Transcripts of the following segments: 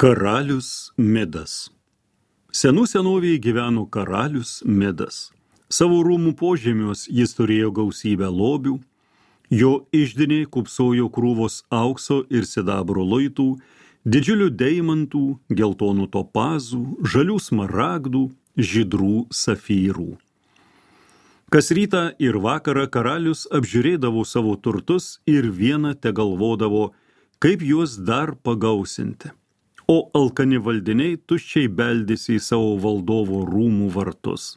Karalius Midas. Senų senovėje gyveno karalius Midas. Savo rūmų požemiuos jis turėjo gausybę lobių, jo iždiniai kupsojo krūvos aukso ir sidabro luitų, didžiulių deimantų, geltonų topazų, žalių smaragdų, žydrų safyrų. Kas rytą ir vakarą karalius apžiūrėdavo savo turtus ir vieną tegalvodavo, kaip juos dar pagausinti. O alkani valdiniai tuščiai beldėsi į savo valdovo rūmų vartus.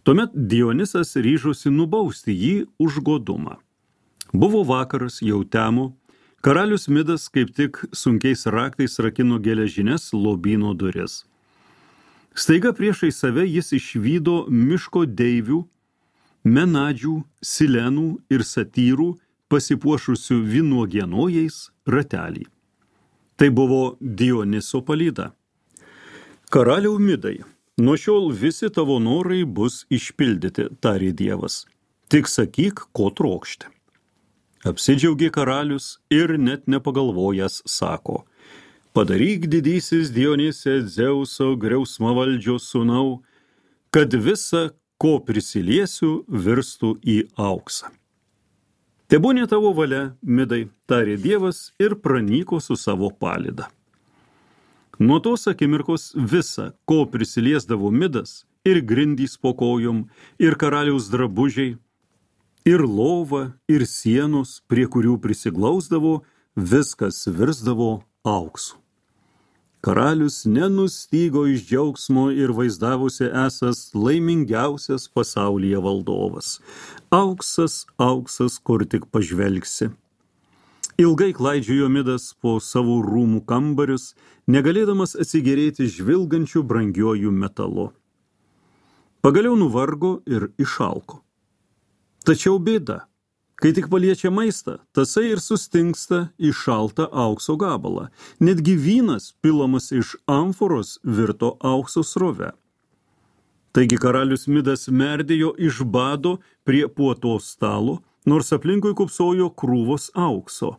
Tuomet Dionisas ryžosi nubausti jį už godumą. Buvo vakaras, jau temo, karalius Midas kaip tik sunkiais raktais rakino geležines lobyno duris. Staiga priešai save jis išvydo miško deivių, menadžių, silenų ir satyrų pasipuošusių vynuogienojais ratelį. Tai buvo Dioniso palyda. Karaliau Midai, nuo šiol visi tavo norai bus išpildyti, tarė Dievas. Tik sakyk, ko trokšti. Apsidžiaugė karalius ir net nepagalvojęs sako, padaryk didysis Dionise Dzeuso griausmavaldžio sūnau, kad visa, ko prisiliesiu, virstų į auksą. Tebūnė tavo valia, Midai, tarė Dievas ir pranyko su savo palyda. Nuo tos akimirkos visa, ko prisiliesdavo Midas, ir grindys po kojom, ir karaliaus drabužiai, ir lova, ir sienos, prie kurių prisiglausdavo, viskas virsdavo auksu. Karalius nenustygo iš džiaugsmo ir vaizdavosi esas laimingiausias pasaulyje valdovas. Auksas, auksas, kur tik pažvelgsi. Ilgai klaidžiojo Midas po savo rūmų kambarius, negalėdamas atsigėrėti žvilgančių brangiuoju metalu. Pagaliau nuvargo ir išalko. Tačiau bėda, kai tik paliečia maistą, tasai ir sustingsta į šaltą aukso gabalą. Netgi vynas, pilamas iš amforos, virto aukso srove. Taigi karalius Midas merdėjo iš bado prie puotos stalo, nors aplinkui kupsojo krūvos aukso.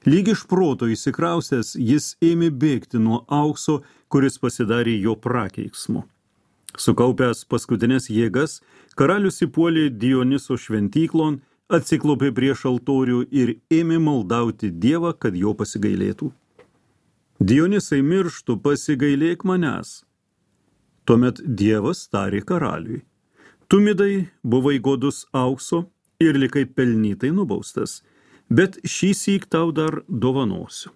Lyg iš proto įsikrausęs, jis ėmė bėgti nuo aukso, kuris pasidarė jo prakeiksmu. Sukaupęs paskutinės jėgas, karalius įpuolė Dioniso šventyklon, atsiklopė prieš altorių ir ėmė maldauti Dievą, kad jo pasigailėtų. Dionisai, mirštu, pasigailėk manęs. Tuomet Dievas tarė karaliui. Tu, Midai, buvai godus aukso ir likai pelnytai nubaustas, bet šįsyk tau dar dovanosiu.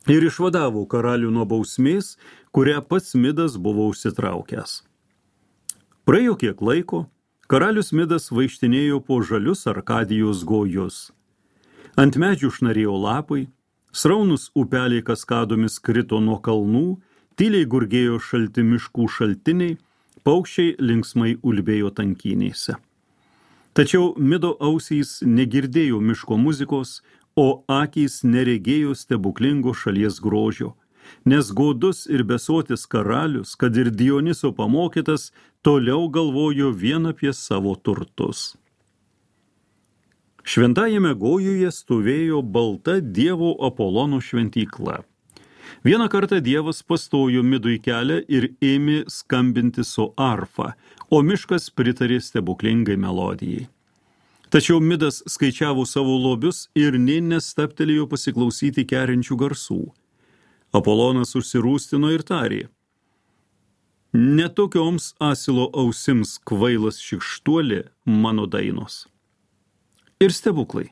Ir išvadavo karalių nuo bausmės, kurią pats Midas buvo užsitraukęs. Praėjo kiek laiko, karalius Midas vaikštinėjo po žalius Arkadijos gojus. Ant medžių šnarėjo lapai, sraunus upeliai kaskadomis krito nuo kalnų, tyliai gurgėjo šalti miškų šaltiniai, paukščiai linksmai ulbėjo tankynėse. Tačiau Mido ausys negirdėjo miško muzikos, o akys neregėjo stebuklingo šalies grožio, nes godus ir besotis karalius, kad ir Dioniso pamokytas, toliau galvojo vien apie savo turtus. Šventajame gojuje stovėjo balta dievo Apolono šventykla. Vieną kartą Dievas pastojo Midui kelią ir ėmė skambinti su arfa, o miškas pritarė stebuklingai melodijai. Tačiau Midas skaičiavo savo lobius ir nė nestabtelėjo pasiklausyti kerinčių garsų. Apolonas užsirūstino ir tarė, netokioms asilo ausims kvailas šikštuolė mano dainos. Ir stebuklai.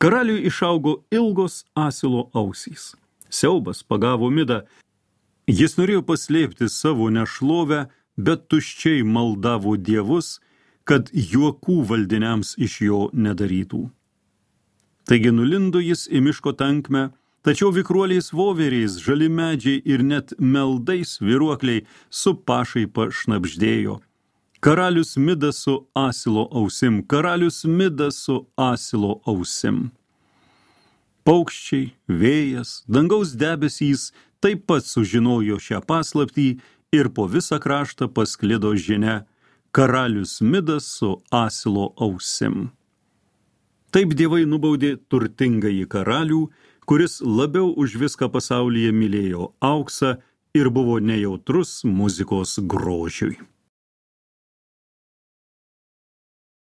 Karaliui išaugo ilgos asilo ausys. Siaubas pagavo Midą. Jis norėjo paslėpti savo nešlovę, bet tuščiai maldavo dievus, kad juokų valdiniams iš jo nedarytų. Taigi nulindo jis į miško tankmę, tačiau vikruoliais voveriais, žali medžiai ir net meldais vyruokliai su pašaipa šnabždėjo. Karalius Midas su asilo ausim, karalius Midas su asilo ausim. Paukščiai, vėjas, dangaus debesys taip pat sužinojo šią paslaptį ir po visą kraštą pasklido žinia karalius Midas su asilo ausim. Taip dievai nubaudė turtingąjį karalių, kuris labiau už viską pasaulyje mylėjo auksą ir buvo nejautrus muzikos grožiui.